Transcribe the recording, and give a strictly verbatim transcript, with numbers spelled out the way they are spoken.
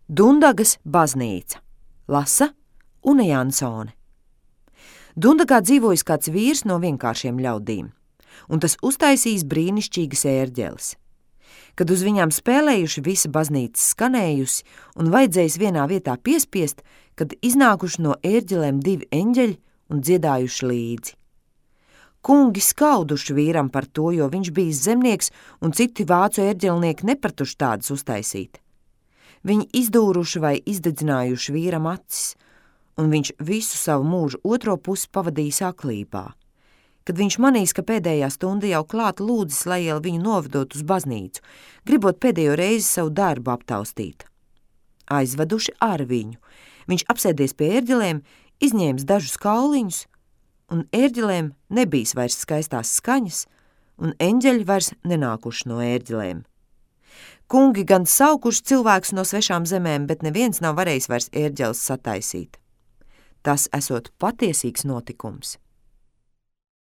Dundagas baznīca. Lasa Une Jansone. Dundagā dzīvojis kāds vīrs no vienkāršiem ļaudīm, un tas uztaisījis brīnišķīgas ērģeles. Kad uz viņām spēlējuši visa baznīca skanējusi un vajadzējis vienā vietā piespiest, kad iznākuši no ērģelēm divi eņģeļi un dziedājuši līdzi. Kungi skauduši vīram par to, jo viņš bijis zemnieks un citi vācu ērģelnieki nepratuši tādas uztaisīt. Viņi izdūruši vai izdedzinājuši vīram acis, un viņš visu savu mūžu otro pusi pavadījis aklībā. Kad viņš manīs, ka pēdējā stunda jau klāta, lūdzis, lai jau viņu novedot uz baznīcu, gribot pēdējo reizi savu darbu aptaustīt. Aizveduši ar viņu, viņš apsēdies pie ērģelēm, izņēmis dažus kauliņus, un ērģelēm nebijis vairs skaistās skaņas, un eņģeļi vairs nenākuši no ērģelēm. Kungi gan saukuši cilvēkus no svešām zemēm, bet neviens nav varējis vairs ērģeles sataisīt. Tas esot patiesīgs notikums.